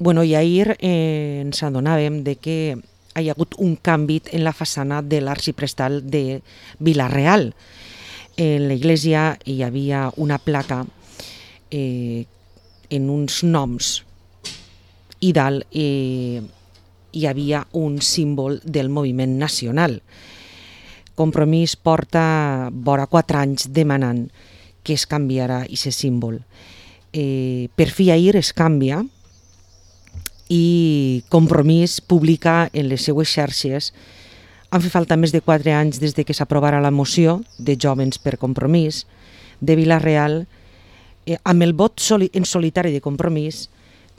Bueno, i ahir ens adonàvem de que hi ha hagut un canvi en la façana de l'arxiprestal de Vila-real. En l'església hi havia una placa en uns noms i dalt hi havia un símbol del moviment nacional. Compromís porta vora 4 anys demanant que es canviarà aquest símbol. Per fi ahir es canvia i Compromís publica en les seues xarxes. Han fet falta més de 4 anys des de que s'aprovara la moció de Jóvens per Compromís de Vila-real amb el vot en solitari de Compromís,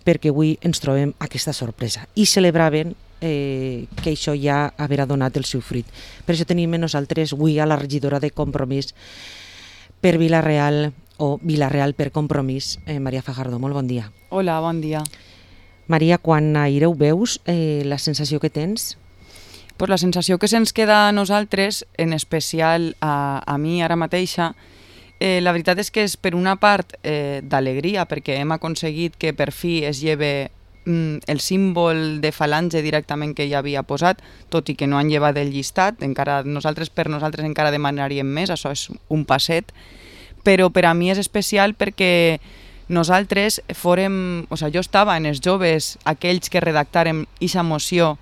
perquè avui ens trobem aquesta sorpresa i celebraven que això ja haurà donat el seu fruit. Per això tenim nosaltres avui a la regidora de Compromís per Vila-real o Vila-real per Compromís, Maria Fajardo. Molt bon dia. Hola, bon dia. Maria, quan ahir ho veus, la sensació que tens? Pues la sensació que se'ns queda a nosaltres, en especial a mi ara mateixa, la veritat és que és per una part d'alegria, perquè hem aconseguit que per fi es lleve el símbol de falange directament que ja havia posat, tot i que no han llevat el llistat, per nosaltres encara demanaríem més, això és un passet, però per a mi és especial perquè nosaltres jo estava en els joves, aquells que redactàrem aquesta moció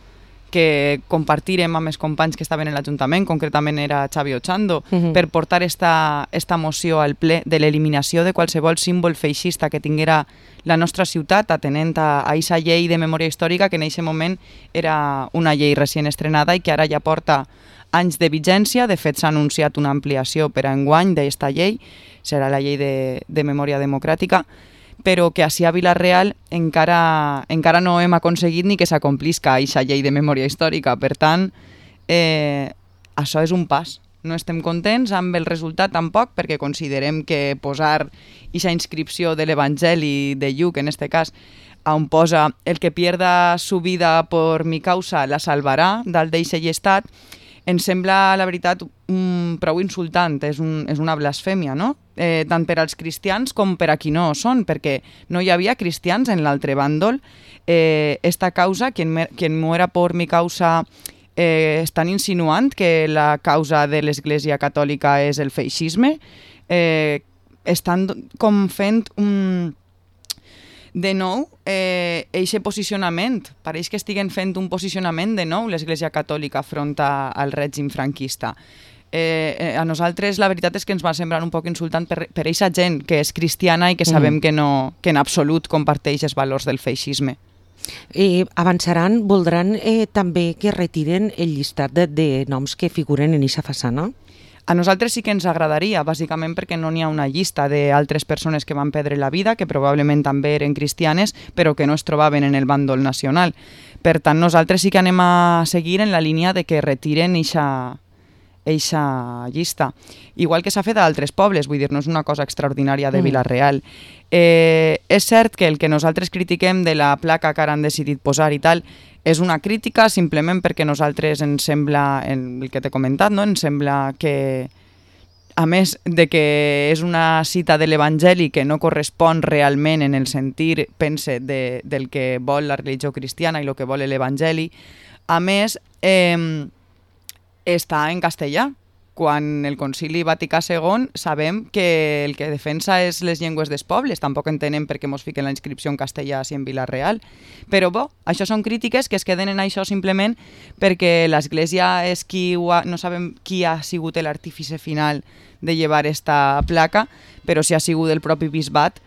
que compartirem amb els companys que estaven en l'Ajuntament, concretament era Xavi Ochando, per portar esta moció al ple de l'eliminació de qualsevol símbol feixista que tinguera la nostra ciutat, atenent a aquesta llei de memòria històrica que en aquest moment era una llei recient estrenada i que ara ja porta anys de vigència. De fet, s'ha anunciat una ampliació per a enguany d'esta llei, serà la llei de memòria democràtica, però que així a Vila-real encara no hem aconseguit ni que s'acomplisca aquesta llei de memòria històrica. Per tant, això és un pas. No estem contents amb el resultat tampoc, perquè considerem que posar aquesta inscripció de l'Evangeli de Lluc, en aquest cas, on posa el que pierda su vida por mi causa la salvarà, dalt d'eixe llistat, ens sembla, la veritat, prou insultant, és una blasfèmia, no? Tant per als cristians com per a qui no ho són, perquè no hi havia cristians en l'altre bàndol. Esta causa, quien muera por mi causa, estan insinuant que la causa de l'Església Catòlica és el feixisme. Estan com fent de nou eixe posicionament. Pareix que estiguen fent un posicionament de nou l'Església Catòlica front al règim franquista. A nosaltres la veritat és que ens va semblar un poc insultant per eixa gent que és cristiana i que sabem que en absolut comparteix els valors del feixisme. Avançaran, voldran també que retiren el llistat de noms que figuren en aquesta façana? A nosaltres sí que ens agradaria, bàsicament perquè no n'hi ha una llista d'altres persones que van perdre la vida, que probablement també eren cristianes, però que no es trobaven en el bàndol nacional. Per tant, nosaltres sí que anem a seguir en la línia de que retiren eixa llista. Igual que s'ha fet a altres pobles, vull dir, no és una cosa extraordinària de Vila-real. És cert que el que nosaltres critiquem de la placa que ara han decidit posar i tal és una crítica simplement perquè a nosaltres ens sembla, el que t'he comentat, no? Ens sembla que, a més de que és una cita de l'Evangeli que no correspon realment en el sentir, pense, del que vol la religió cristiana i el que vol l'Evangeli, a més, està en castellà, quan el Concili Vaticà II sabem que el que defensa és les llengües dels pobles, tampoc entenem per què mos fiquen la inscripció en castellà si en Vila-real. Però això són crítiques que es queden en això simplement perquè l'Església és no sabem qui ha sigut l'artífice final de llevar esta placa, però si ha sigut el propi bisbat,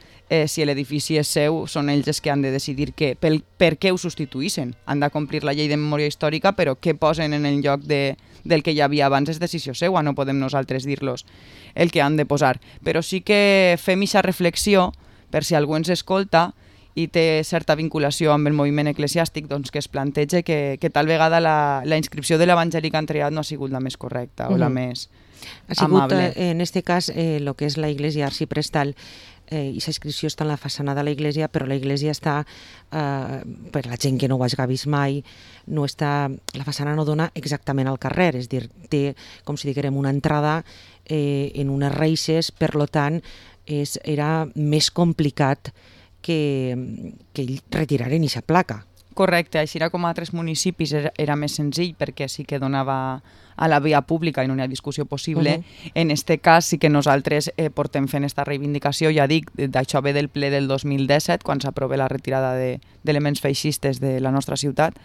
si l'edifici és seu, són ells els que han de decidir per què ho substituïssin. Han de complir la llei de memòria històrica, però què posen en el lloc del que hi havia abans és decisió seua, no podem nosaltres dir-los el que han de posar. Però sí que fem aquesta reflexió, per si algú ens escolta i té certa vinculació amb el moviment eclesiàstic, doncs que es plantege que tal vegada la inscripció de l'Evangeli que han triat no ha sigut la més correcta o la més ha sigut, amable. En aquest cas, el que és la Iglesia Arxiprestal, i la inscripció està en la façana de la Iglesia, però la Iglesia està, per la gent que no ho hagi vist mai, no està, la façana no dona exactament al carrer, és a dir, té, com si diguem, una entrada en unes reixes, per tant, era més complicat que retiraren aquesta placa. Correcte, així era com a altres municipis era més senzill perquè sí que donava a la via pública i no hi ha discussió possible. En este cas sí que nosaltres portem fent aquesta reivindicació, ja dic, d'això ve del ple del 2017, quan s'aprova la retirada d'elements feixistes de la nostra ciutat,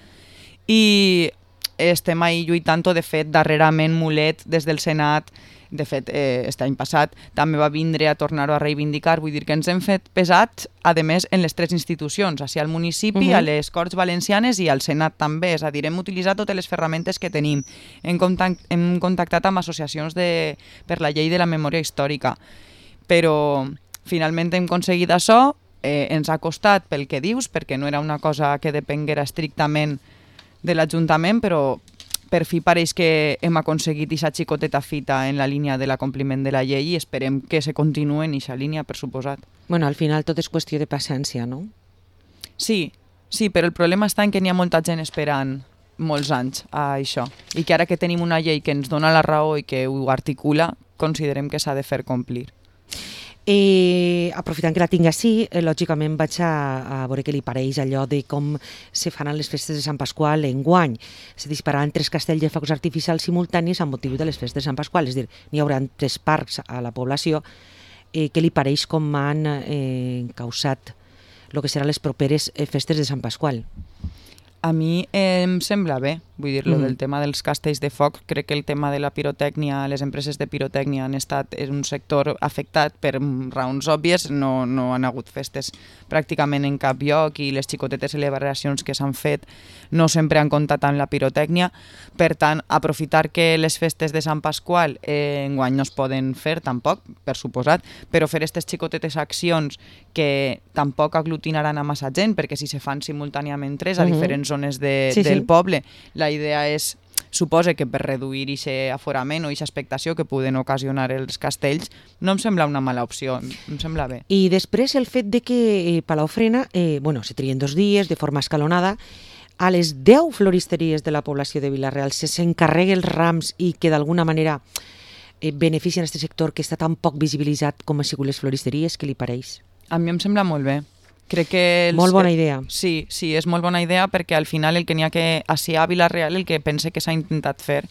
i estem ahí lluitant. De fet, darrerament Mulet, des del Senat, de fet, aquest any passat, també va vindre a tornar-ho a reivindicar. Vull dir que ens hem fet pesats, a més, en les tres institucions, així al municipi, a les Corts Valencianes i al Senat també. És a dir, hem utilitzat totes les ferramentes que tenim. Hem contactat amb associacions per la llei de la memòria històrica. Però finalment hem aconseguit això, ens ha costat pel que dius, perquè no era una cosa que depenguera estrictament de l'Ajuntament, però per fi pareix que hem aconseguit aquesta xicoteta fita en la línia de l'acompliment de la llei i esperem que se continuï en aquesta línia, per suposat. Bueno, al final tot és qüestió de paciència, no? Sí, però el problema està en que n'hi ha molta gent esperant molts anys a això i que ara que tenim una llei que ens dona la raó i que ho articula, considerem que s'ha de fer complir. Aprofitant que la tinc així, lògicament vaig a veure què li pareix allò de com se fan les festes de Sant Pasqual enguany. Se dispararan 3 castells de focs artificials simultanis amb motiu de les festes de Sant Pasqual, és a dir, n'hi haurà 3 parcs a la població. Què li pareix com han causat el que seran les properes festes de Sant Pasqual? A mi em sembla bé, vull dir, del tema dels castells de foc. Crec que el tema de la pirotècnia, les empreses de pirotècnia han estat en un sector afectat per raons òbvies, no han hagut festes pràcticament en cap lloc i les xicotetes celebracions que s'han fet no sempre han comptat amb la pirotècnia. Per tant, aprofitar que les festes de Sant Pasqual enguany no es poden fer tampoc, per suposat, però fer aquestes xicotetes accions que tampoc aglutinaran a massa gent, perquè si se fan simultàniament 3 a diferents zones del poble, la idea és, suposa que per reduir aquest aforament o aquesta expectació que poden ocasionar els castells, no em sembla una mala opció, em sembla bé. I després el fet de que Palafrena, se trien 2 dies de forma escalonada, a les 10 floristeries de la població de Vila-real s'encarreguen els rams i que d'alguna manera beneficien aquest sector que està tan poc visibilitzat com han sigut les floristeries, què li pareix? A mi em sembla molt bé. Crec que molt bona idea. Sí, és molt bona idea perquè al final el que n'hi ha que així a Vila-real el que pense que s'ha intentat fer,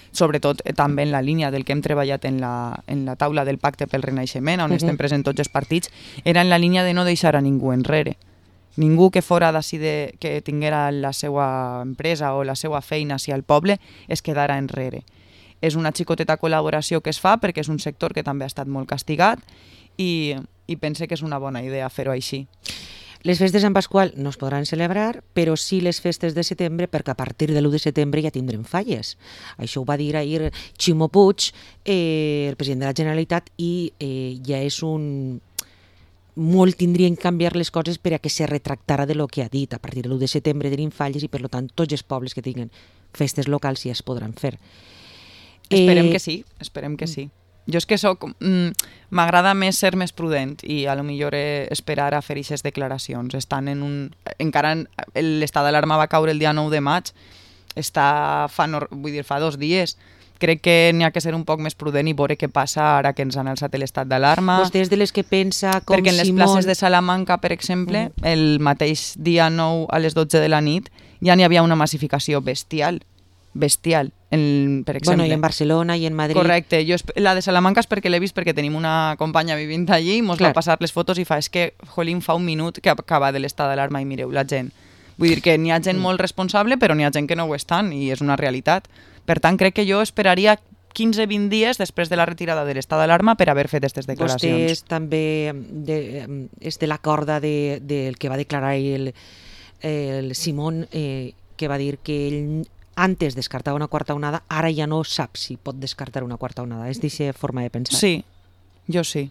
sobretot també en la línia del que hem treballat en la taula del pacte pel renaixement, on estem presents tots els partits, era en la línia de no deixar a ningú enrere. Ningú que fora d'ací que tinguera la seva empresa o la seva feina hacia el poble es quedara enrere. És una xicoteta col·laboració que es fa perquè és un sector que també ha estat molt castigat i pense que és una bona idea fer-ho així. Les festes de Sant Pasqual no es podran celebrar, però sí les festes de setembre, perquè a partir de l'1 de setembre ja tindrem falles. Això ho va dir ahir Ximo Puig, el president de la Generalitat, i ja és molt tindrien que canviar les coses per a que se retractara de lo que ha dit. A partir de l'1 de setembre tenim falles i, per tant, tots els pobles que tinguin festes locals ja es podran fer. Esperem que sí. Jo és que m'agrada més ser més prudent i a lo millor esperar a fer aquestes declaracions. Encara l'estat d'alarma va caure el dia 9 de maig, fa 2 dies. Crec que n'hi ha que ser un poc més prudent i veure què passa ara que ens han alçat l'estat d'alarma. Vostè és de les que pensa com perquè en les places de Salamanca, per exemple, el mateix dia 9 a les 12 de la nit ja n'hi havia una massificació bestial, per exemple. Bueno, i en Barcelona i en Madrid. Correcte, la de Salamanca és perquè l'he vist perquè tenim una companya vivint allí i mos va passar les fotos i és que, jolín, fa un minut que acaba de l'estat d'alarma i mireu la gent. Vull dir que n'hi ha gent molt responsable, però n'hi ha gent que no ho estan i és una realitat. Per tant, crec que jo esperaria 15-20 dies després de la retirada de l'estat d'alarma per haver fet aquestes declaracions. Vostè és també és de la corda del que va declarar el Simón, que va dir que ell antes descartava una quarta onada, ara ja no sap si pot descartar una quarta onada. És d'aquesta forma de pensar. Sí, jo sí.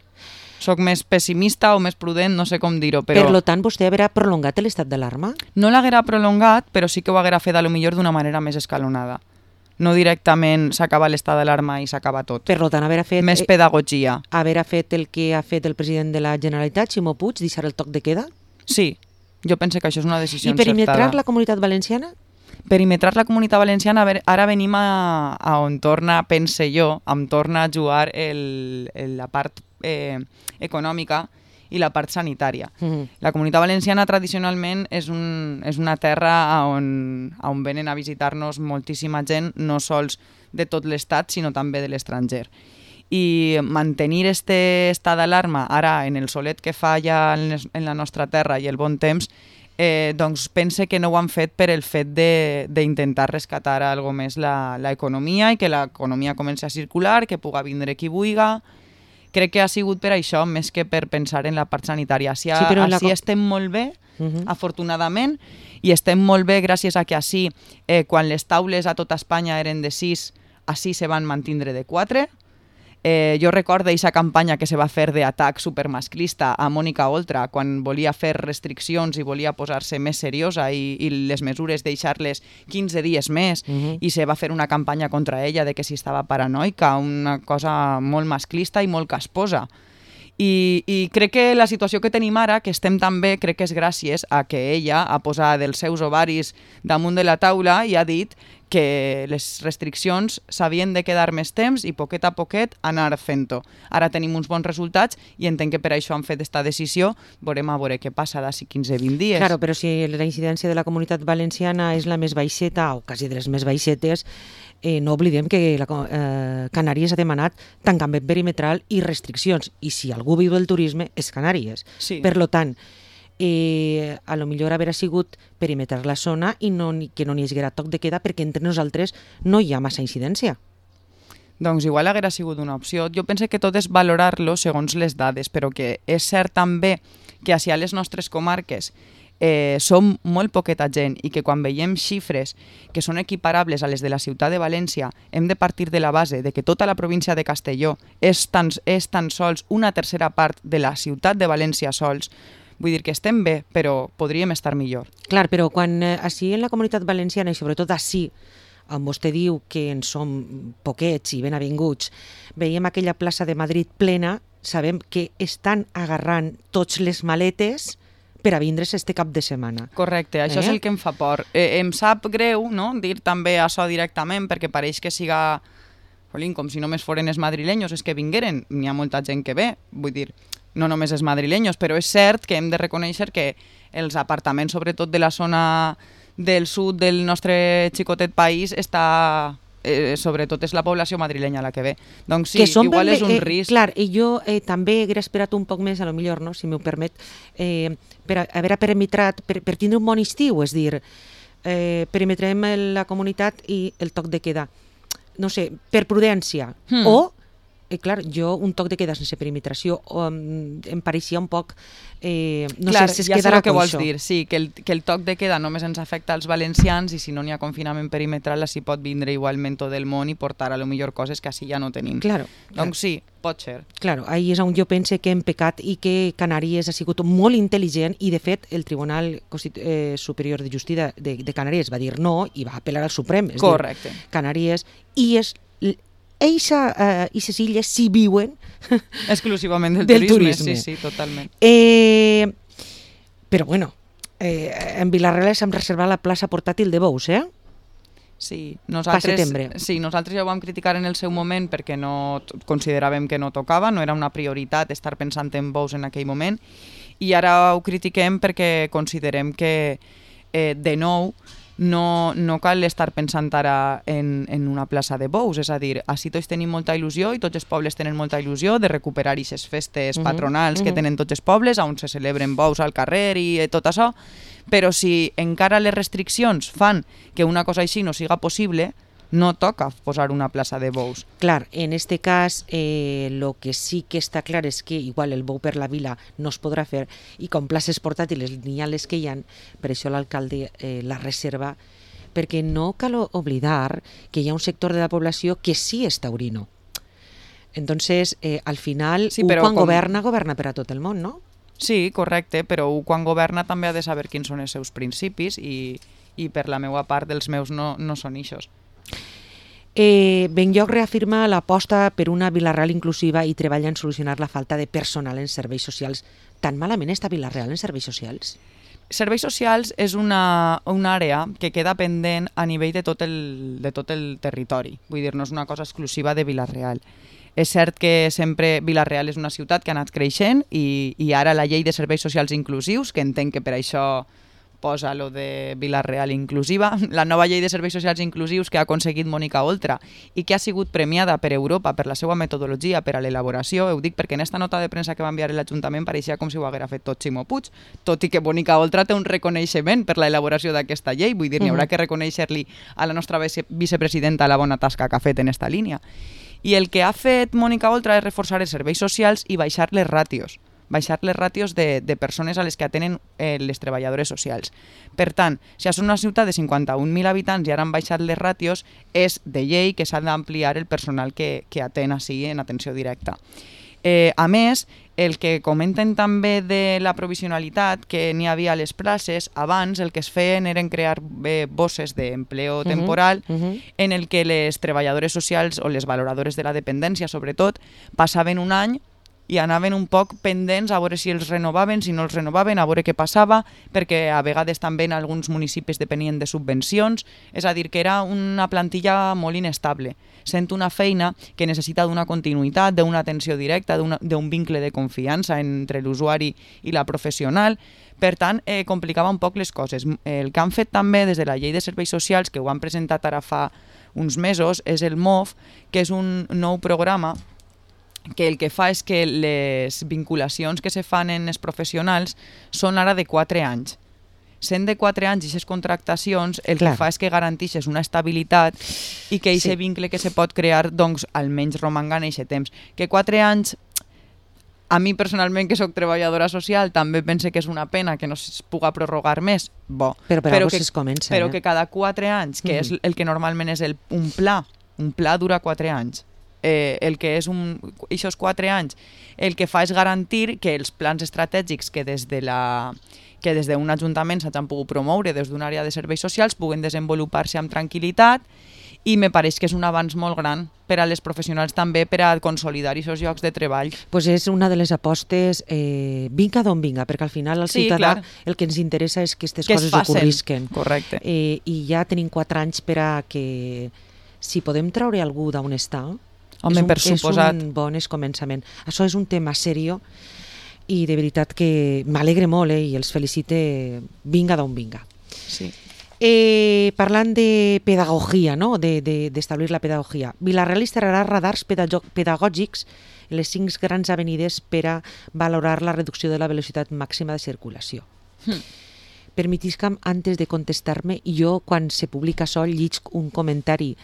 Soc més pessimista o més prudent, no sé com dir-ho, però... Per tant, vostè haurà prolongat l'estat d'alarma? No l'haguera prolongat, però sí que ho haguera fet a lo millor d'una manera més escalonada. No directament s'acaba l'estat d'alarma i s'acaba tot. Per tant, haurà fet... Més pedagogia. Haurà fet el que ha fet el president de la Generalitat, Ximo Puig, deixar el toc de queda? Sí, jo penso que això és una decisió encertada. I perimetrar la Comunitat Valenciana? Perimetrar la Comunitat Valenciana, ara venim a on torna, pense jo, on torna a jugar la part econòmica i la part sanitària. La Comunitat Valenciana tradicionalment és una terra on venen a visitar-nos moltíssima gent, no sols de tot l'estat, sinó també de l'estranger. I mantenir este estat d'alarma ara en el solet que fa ja en la nostra terra i el bon temps, doncs pense que no ho han fet per el fet d'intentar rescatar algo més l'economia i que l'economia comenci a circular, que puga vindre qui vulga. Crec que ha sigut per això, més que per pensar en la part sanitària. Així estem molt bé, afortunadament, i estem molt bé gràcies a que així, quan les taules a tota Espanya eren de 6, així se van mantindre de 4. Jo recordo aquesta campanya que se va fer d'atac supermasclista a Mònica Oltra quan volia fer restriccions i volia posar-se més seriosa i les mesures deixar-les 15 dies més i se va fer una campanya contra ella de que si estava paranoica, una cosa molt masclista i molt casposa. I crec que la situació que tenim ara, que estem tan bé, crec que és gràcies a que ella ha posat els seus ovaris damunt de la taula i ha dit que les restriccions s'havien de quedar més temps i poquet a poquet anar fent-ho. Ara tenim uns bons resultats i entenc que per això han fet aquesta decisió. Veurem a veure què passa d'ací 15-20 dies. Claro, però si la incidència de la Comunitat Valenciana és la més baixeta, o quasi de les més baixetes, no oblidem que Canàries ha demanat tancament perimetral i restriccions, i si algú viu del turisme és Canàries. Sí. Per tant, a lo millor haver sigut perimetrar la zona i que no n'hi haguera toc de queda perquè entre nosaltres no hi ha massa incidència. Doncs igual haguera sigut una opció. Jo penso que tot és valorar-lo segons les dades, però que és cert també que a les nostres comarques som molt poqueta gent i que quan veiem xifres que són equiparables a les de la ciutat de València hem de partir de la base de que tota la província de Castelló és tan sols una tercera part de la ciutat de València sols. Vull dir que estem bé, però podríem estar millor. Clar, però quan així en la Comunitat Valenciana, i sobretot així, on vostè diu que en som poquets i ben avinguts, veiem aquella plaça de Madrid plena, sabem que estan agarrant tots les maletes per a vindre's este cap de setmana. Correcte, això és el que em fa por. Em sap greu, no?, dir també això directament, perquè pareix que siga, com si només foren els madrilenyos, és que vingueren, n'hi ha molta gent que ve, vull dir, no només els madrilenyos, però és cert que hem de reconèixer que els apartaments, sobretot de la zona del sud del nostre xicotet país, sobretot és la població madrilenya la que ve. Doncs sí, igual és un risc. Clar, i jo també haguera esperat un poc més, a lo millor, no, si m'ho permet, per haver perimetrat, per tindre un bon estiu, és dir, perimetrem la comunitat i el toc de queda. No sé, per prudència, o clar, jo un toc de queda sense perimetració em pareixia un poc no clar, sé si es ja quedarà sé el que coixo. vols dir, sí, que el toc de queda només ens afecta als valencians i si no n'hi ha confinament perimetral així pot vindre igualment tot el món i portar a lo millor coses que així ja no tenim. Claro, doncs sí, pot ser. Claro, ahí és on jo pense que hem pecat i que Canàries ha sigut molt intel·ligent i de fet el Tribunal Superior de Justícia de Canàries va dir no i va apel·lar al Suprem. Correcte. Canàries i és aquestes illes sí viuen exclusivament del turisme. Sí, totalment. Però bueno, en Vila-real s'hem reservat la plaça portàtil de bous, Sí, nosaltres ja ho vam criticar en el seu moment perquè no consideràvem que no tocava, no era una prioritat estar pensant en bous en aquell moment i ara ho critiquem perquè considerem que de nou no cal estar pensant ara en una plaça de bous, és a dir, així tots tenim molta il·lusió i tots els pobles tenen molta il·lusió de recuperar aquestes festes patronals que tenen tots els pobles, on se celebren bous al carrer i tot això, però si encara les restriccions fan que una cosa així no siga possible, no toca posar una plaça de bous. Clar, en este cas lo que sí que està clar és que igual el bou per la vila no es podrà fer i com places portàtiles n'hi ha les que hi ha, per això l'alcalde la reserva, perquè no cal oblidar que hi ha un sector de la població que sí és taurino. Entonces, al final, sí, quan governa per a tot el món, no? Sí, correcte, però quan governa també ha de saber quins són els seus principis i per la meva part dels meus no són ixos. Benlloc reafirma l'aposta per una Vila-real inclusiva i treballa en solucionar la falta de personal en serveis socials. Tan malament està Vila-real en serveis socials? Serveis socials és una àrea que queda pendent a nivell de tot el territori. Vull dir, no és una cosa exclusiva de Vila-real. És cert que sempre Vila-real és una ciutat que ha anat creixent i ara la llei de serveis socials inclusius, que entenc que per això posa lo de Vila-real inclusiva, la nova llei de serveis socials inclusius que ha aconseguit Mònica Oltra i que ha sigut premiada per Europa per la seva metodologia per a l'elaboració, ho dic perquè en esta nota de premsa que va enviar l'Ajuntament pareixia com si ho haguera fet tot Ximo Puig, tot i que Mònica Oltra té un reconeixement per l'elaboració d'aquesta llei, vull dir, n'hi haurà que reconèixer-li a la nostra vicepresidenta la bona tasca que ha fet en esta línia. I el que ha fet Mònica Oltra és reforçar els serveis socials i baixar les ràtios de persones a les que atenen les treballadores socials. Per tant, si és una ciutat de 51.000 habitants i ara han baixat les ràtios, és de llei que s'ha d'ampliar el personal que atén així en atenció directa. A més, el que comenten també de la provisionalitat que n'hi havia a les places, abans el que es feien eren crear bosses d'empleo temporal en el que les treballadores socials o les valoradores de la dependència, sobretot, passaven un any i anaven un poc pendents a veure si els renovaven, si no els renovaven, a veure què passava, perquè a vegades també en alguns municipis depenien de subvencions, és a dir, que era una plantilla molt inestable. Sent una feina que necessita d'una continuïtat, d'una atenció directa, d'un vincle de confiança entre l'usuari i la professional. Per tant, complicava un poc les coses. El que han fet també des de la llei de serveis socials, que ho han presentat ara fa uns mesos, és el MOF, que és un nou programa que el que fa és que les vinculacions que se fan en els professionals són ara de 4 anys. Sent de 4 anys i aquestes contractacions, el que fa és que garanteixes una estabilitat i que aquest vincle que se pot crear, doncs, almenys romanga en aquest temps. Que 4 anys, a mi personalment, que sóc treballadora social, també pense que és una pena que no es puga prorrogar més. Bo. Però que es comença. Però que cada 4 anys, que és el que normalment és un pla dura 4 anys. El que és aquests 4 anys el que fa és garantir que els plans estratègics que des d'un ajuntament s'hagin pogut promoure des d'una àrea de serveis socials puguen desenvolupar-se amb tranquil·litat i me pareix que és un avanç molt gran per a les professionals també per a consolidar aquests llocs de treball. Pues és una de les apostes, vinga d'on vinga, perquè al final al ciutadà el que ens interessa és que aquestes coses ocorrisquen. Correcte. I ja tenim 4 anys per a que si podem treure algú d'on està, home, per suposat. És un bon començament. Això és un tema serio i de veritat que m'alegre molt i els felicite vinga d'on vinga. Sí. Parlant de pedagogia, no? d'establir la pedagogia, Vila-real instal·larà radars pedagògics en les 5 grans avenides per a valorar la reducció de la velocitat màxima de circulació. Permetisca'm, antes de contestar-me, jo quan se publica això lliig un comentari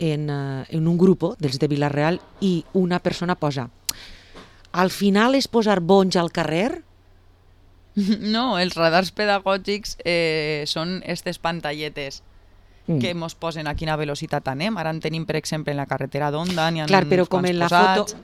en un grup dels de Vila-real i una persona posa: al final és posar bonys al carrer? No, els radars pedagògics són aquestes pantalletes que ens posen a quina velocitat anem. Ara en tenim, per exemple, en la carretera d'Onda, n'hi ha clar, però uns quants posats.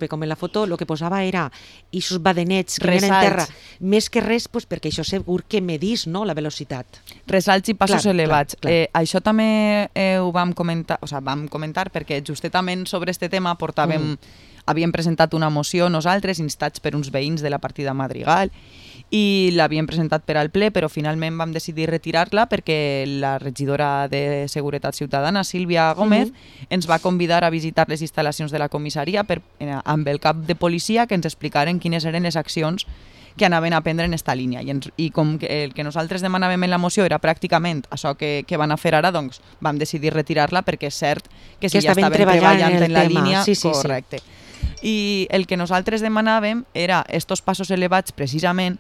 Com en la foto, el que posava era aquests badenets que eren en terra, més que res, pues, perquè això segur que medís, no, la velocitat. Ressalts i passos elevats. Això també ho vam comentar perquè justament sobre aquest tema havíem presentat una moció nosaltres, instats per uns veïns de la partida Madrigal, i l'havíem presentat per al ple, però finalment vam decidir retirar-la perquè la regidora de Seguretat Ciutadana, Sílvia Gómez, ens va convidar a visitar les instal·lacions de la comissaria amb el cap de policia que ens explicaren quines eren les accions que anaven a prendre en esta línia. I com que el que nosaltres demanàvem en la moció era pràcticament això que van a fer ara, doncs vam decidir retirar-la perquè és cert que si ja estaven treballant en la línia, correcte. I el que nosaltres demanàvem era estos passos elevats precisament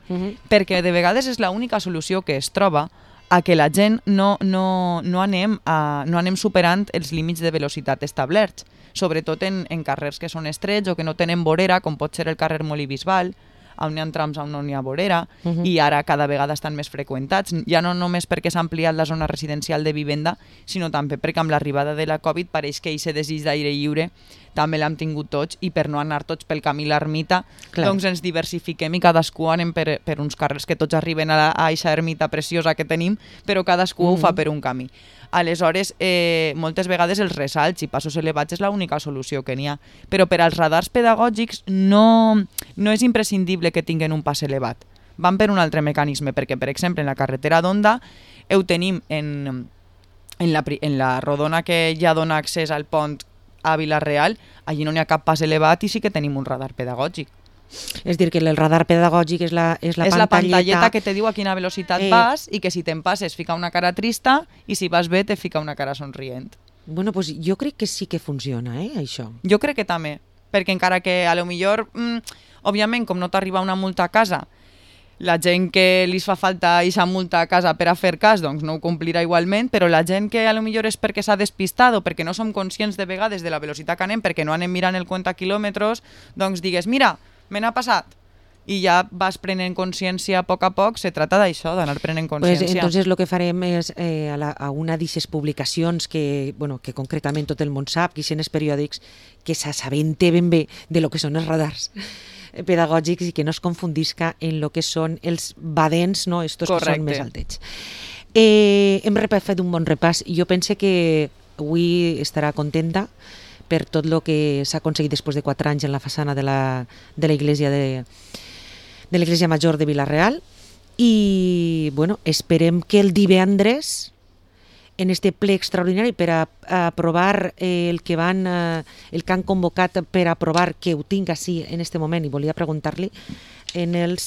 perquè de vegades és l'única solució que es troba a que la gent no anem superant els límits de velocitat establerts, sobretot en carrers que són estrets o que no tenen vorera, com pot ser el carrer Molí Bisbal, on hi ha trams on no n'hi ha vorera, i ara cada vegada estan més freqüentats, ja no només perquè s'ha ampliat la zona residencial de vivenda, sinó també perquè amb l'arribada de la Covid pareix que aquest desig d'aire lliure també l'hem tingut tots, i per no anar tots pel camí l'ermita, doncs ens diversifiquem i cadascú anem per uns carrers que tots arriben a aquesta ermita preciosa que tenim, però cadascú ho fa per un camí. Aleshores, moltes vegades els ressalts i passos elevats és l'única solució que n'hi ha. Però per als radars pedagògics no és imprescindible que tinguin un pas elevat. Van per un altre mecanisme, perquè, per exemple, en la carretera d'Onda ho tenim en la rodona que ja dona accés al pont a Vila-real, allí no n'hi ha cap pas elevat i sí que tenim un radar pedagògic. És dir, que el radar pedagògic és la la pantalleta que te diu a quina velocitat vas i que si te'n passes fica una cara trista i si vas bé te fica una cara somrient. Bueno, pues jo crec que sí que funciona, això. Jo crec que també, perquè encara que a lo millor, òbviament, com no t'arriba una multa a casa, la gent que li fa falta aquesta multa a casa per a fer cas, doncs no ho complirà igualment, però la gent que a lo millor és perquè s'ha despistat o perquè no som conscients de vegades de la velocitat que anem, perquè no anem mirant el compte a quilòmetres, doncs digues, mira, me n'ha passat. I ja vas prenent consciència a poc, se trata d'això, d'anar prenent consciència. Pues entonces lo que farem és a una d'aquestes publicacions que concretament tot el món sap, que són els periòdics, que s'assabente ben bé de lo que són els radars pedagògics i que no es confundisca en lo que són els badents, no? Estos que són més altets. Hem fet un bon repàs i jo pense que avui estarà contenta per tot el que s'ha aconseguit després de 4 anys en la façana de l'església de l'Església Major de Vila-real i bueno, esperem que el divendres en este ple extraordinari per a aprovar el que han convocat per aprovar, que ho tinc així en este moment i volia preguntar-li el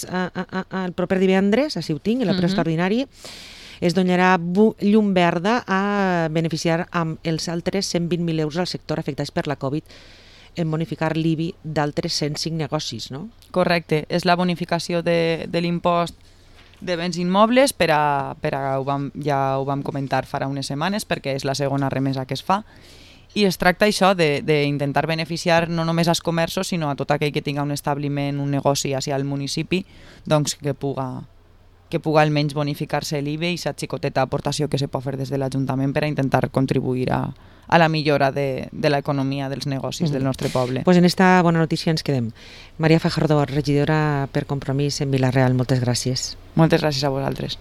proper divendres, així ho tinc, en el ple extraordinari es donarà llum verda a beneficiar amb els altres 120.000 euros al sector afectats per la Covid en bonificar l'IBI d'altres 105 negocis, no? Correcte, és la bonificació de l'impost de béns immobles ja ho vam comentar farà unes setmanes perquè és la segona remesa que es fa i es tracta això d'intentar beneficiar no només als comerços sinó a tot aquell que tinga un establiment, un negoci hacia el municipi, doncs que puga almenys bonificar-se l'IBI i la xicoteta aportació que se pot fer des de l'Ajuntament per a intentar contribuir a la millora de l'economia dels negocis del nostre poble. Pues en esta bona notícia ens quedem. Maria Fajardo, regidora per Compromís en Vila-real, moltes gràcies. Moltes gràcies a vosaltres.